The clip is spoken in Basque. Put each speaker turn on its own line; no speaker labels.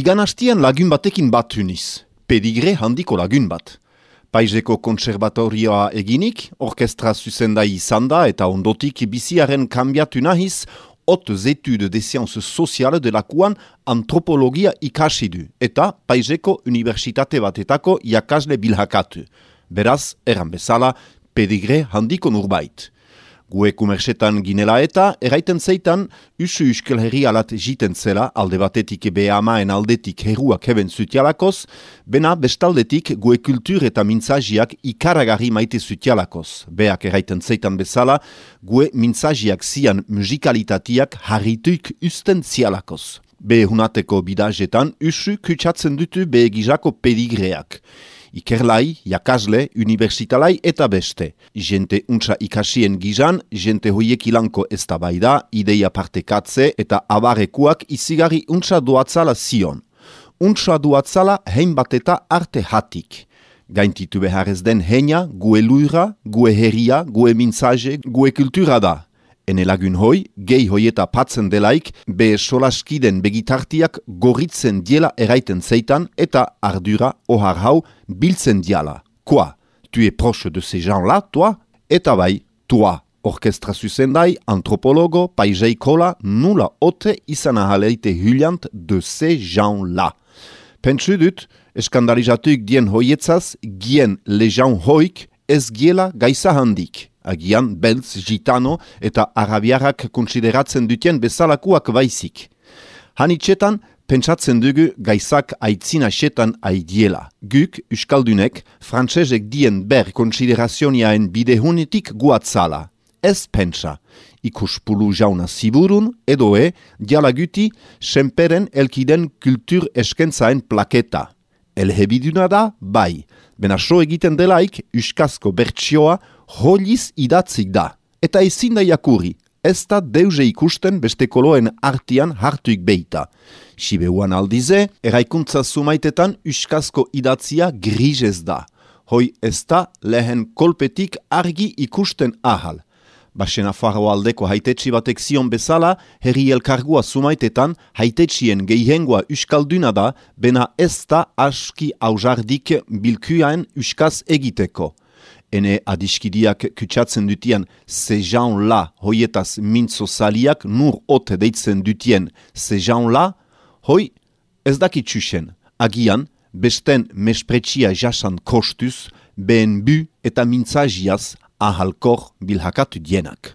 Igan hastian lagun batekin bat huniz, pedigre handiko lagun bat. Paiseko kontserbatorioa eginik, orkestra zuzendai izan da eta ondotik biziaren kanbiatu nahiz, hautes études des sciences sociales delakoan antropologia ikasi du eta Paiseko unibertsitate batetako irakasle bilhakatu. Beraz, erran bezala, pedigre handiko nurbait. Gue kumersetan ginela eta, eraiten zeitan, usu uskel herri alat jiten zela, alde batetik behamaen aldetik herruak heben zutialakoz, bena bestaldetik gue kultur eta mintzajiak ikaragarri maite zutialakoz. Beak eraiten zeitan bezala, gue mintzajiak zian musikalitateak harrituik usten zialakoz. Behunateko bidajetan, usu kutsatzen dutu behegizako pedigreak. Ikerlai, jakasle, universitalai eta beste. Jente untsa ikasien gizan, jente hoiek ilanko eztabaida, ideia partekatze eta abarekuak izigarri untsa duatzala zion. Untsa duatzala hein bat eta arte hatik. Gaintitu beharrez den heina, gue luira, gue herria, gue mintzaje, gue kultura da. Ene lagun hoi, gehi hoieta patzen delaik, be solaskiden begitartiak gorritzen diela eraiten zeitan eta ardura ohar hau biltzen diala. Quoi? Tu es proche de ces gens-là, toi? Eta bai, toi, orkestra zuzendai, antropologo, paiseikola, nula ote izan ahaleite hyliant de ces gens-là. Pentsu dut, eskandalizatuik dien hoietzaz, gien lejan hoik ez giela gaisa handik. Agian, beltz, gitano eta arabiarrak konsideratzen dutien bezalakuak baizik. Hanitxetan, pentsatzen dugu gaizak aitzina xetan aidiela. Guk, euskaldunek, frantsesek dien ber konsiderazionaen bidehunetik guatzala. Ez pentsa. Ikuspulu jauna ziburun, edoe, dialaguti, senperen elkiden kultur eskentzaen plaketa. Elhebiduna da, bai. Bena so egiten delaik, euskazko bertsioa holiz idatzik da. Eta ezin da jakuri, ez da deuze ikusten beste koloen artian hartuik beita. Sibeuan aldize, eraikuntza sumaitetan euskazko idatzia grizez da. Hoi ez da lehen kolpetik argi ikusten ahal. Basen Afarroa aldeko haitetsi batek zion bezala, herri elkargua sumaitetan haitetxien gehiengoa euskalduna da, bena ez da aski aujardik bilkuaen euskaz egiteko. Ene adiskidiak kutsatzen dutien sejan-la hoietaz mintzo saliak nur ote deitzen dutien sejan-la, hoi ez dakitsusen. Agian, besten mespretsia jasan kostuz, behen bu eta mintzajiaz ahalkor bilhakatu dienak.